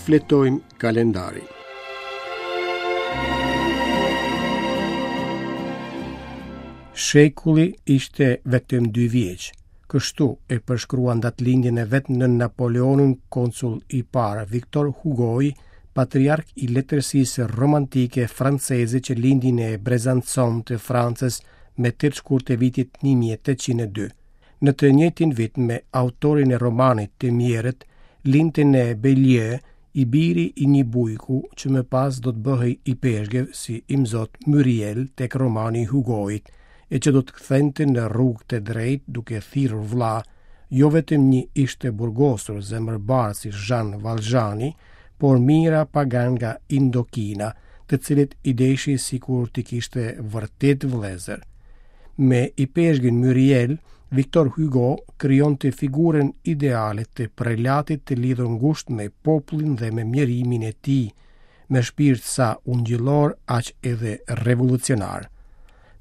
Shfletojmë kalendarin. Shekulli ishte vetëm dy vjeç. Kështu e përshkruan datëlindjen e vet nën Napoleonin konsull i parë Victor Hugoi, patriark i letërsisë romantike franceze që lindi në Besançon të Francës me 8 shkurt të vitit 1802. Në të njëjtin vit me autorin e romanit Të mjerët, lindte në Beaulieu, i biri i një bujku që më pas do të bëhej ipeshkëv si imzot Myriel tek romani i Hugoit, e që do të kthente në rrugë të drejtë duke thirrur vëlla, jo vetëm një ish të burgosur zemërbardhë si Zhan Valzhani, por mijëra paganë nga Indokina, të cilët i deshi sikur t'i kishte vërtet vëllezër. Me ipeshkvin Myriel, Victor Hugo krijonte figurën ideale të prelatit të lidhur ngushtë me popullin dhe me mjerimin e tij, me shpirt sa ungjillor aq edhe revolucionar.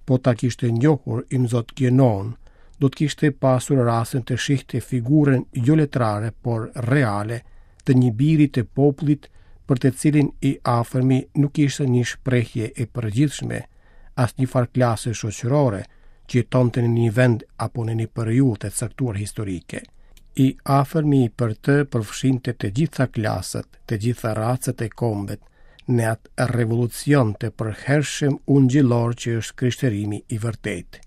Po ta kishte njohur imzot Gjenon, do të kishte pasur rastin të shihte figurën jo letrare, por reale të një biri të popullit për të cilin i afërmi nuk ishte një shprehje e përgjithshme, as një farë klase shoqërore që jetonte në një vend apo në një periudhë të caktuar historike. I afërmi për të përfshinte të gjitha klasat, të gjitha racat e kombet, në atë revolucion të përhershëm ungjillor që është krishterimi i vërtetë.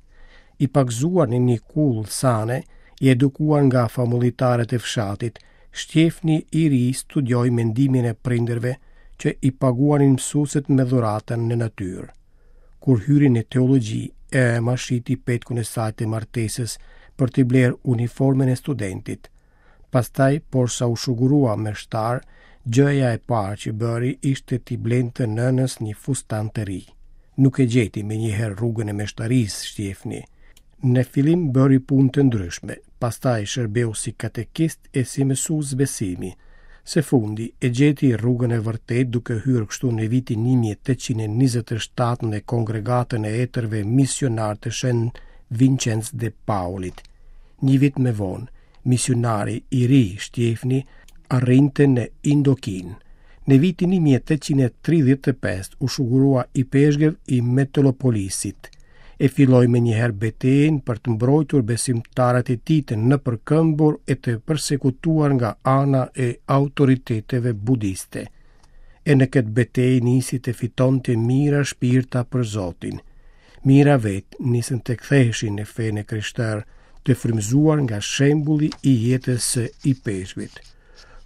I pagëzuar në një kullë sane, i edukuar nga famullitarët e fshatit, Shtjefni i ri studioi me ndihmën e prindërve që i paguanin mësuesit me dhurata në natyrë. Kur hyri në teologji, e ëma shiti petkun e saj të martesës për t'i blerë uniformën e studentit. Pastaj, porsa u shugurua meshtar, gjëja e parë që bëri ishte t'i blente nënës një fustan të ri. Nuk e gjeti menjëherë rrugën e meshtarisë Shtjefni. Në fillim bëri punë të ndryshme, pastaj shërbeu si katekist e si mësues besimi. Së fundi, e gjeti rrugën e vërtetë duke hyrë kështu në vitin 1827 në kongregatën e etërve misionarë të Shën Vincenc de Paulit. Një vit më vonë, misionari i ri Shtjefni arrinte në Indokinë. Në vitin 1835 u shugurua ipeshkëv i Metropolisit. E filloi menjëherë betejën për të mbrojtur besimtarët e tij të nëpërkëmbur e të persekutuar nga ana e autoriteteve budiste. E në këtë betejë nisi të fitonte mijëra shpirta për Zotin. Mijëra vetë nisën të ktheheshin në fenë e krishterë, të frymëzuar nga shembulli i jetës së ipeshkvit.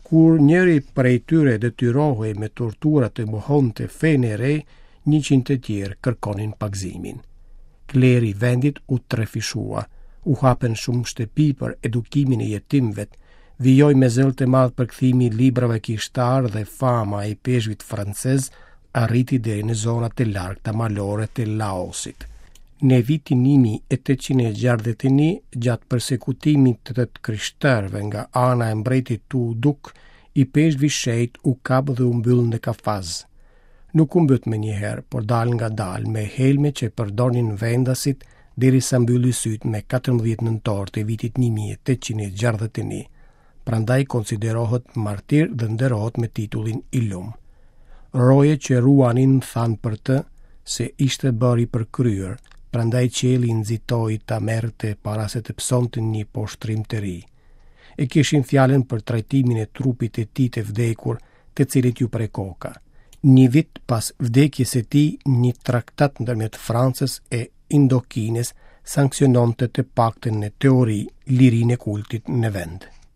Kur njëri prej tyre detyrohej me tortura të mohonte fenë e re, 100 të tjerë kërkonin pagëzimin. Kleri i vendit u trefishua, u hapën shumë shtëpi për edukimin e jetimëve, vijoi me zell të madh përkthimi i librave kishtarë dhe fama e ipeshkvit francez arriti deri në zonat e largëta malore të Laosit. Në vitin 1861, gjatë persekutimit të të krishterëve nga ana e mbretit Tu Duk, ipeshkvi i shenjtë u kap dhe u mbyll në kafaz. Nuk u mbyt menjëherë, por dalëngadalë me helme që përdornin vendasit derisa mbylli sytë me 14 nëntor të vitit 1861. Prandaj konsiderohet martir dhe nderohet me titullin i lum. Rojet që ruanin thanë për të se ishte bërë i përkryer, prandaj qielli nxitoi ta merrte para se të pësonte një poshtërim të ri. E kishin fjalën për trajtimin e trupit të tij të vdekur, të cilit iu pre koka. Një vit pas vdekjes së tij, një traktat ndërmjet Francës e Indokinës sanksiononte të paktën në teori lirinë e kultit në vend.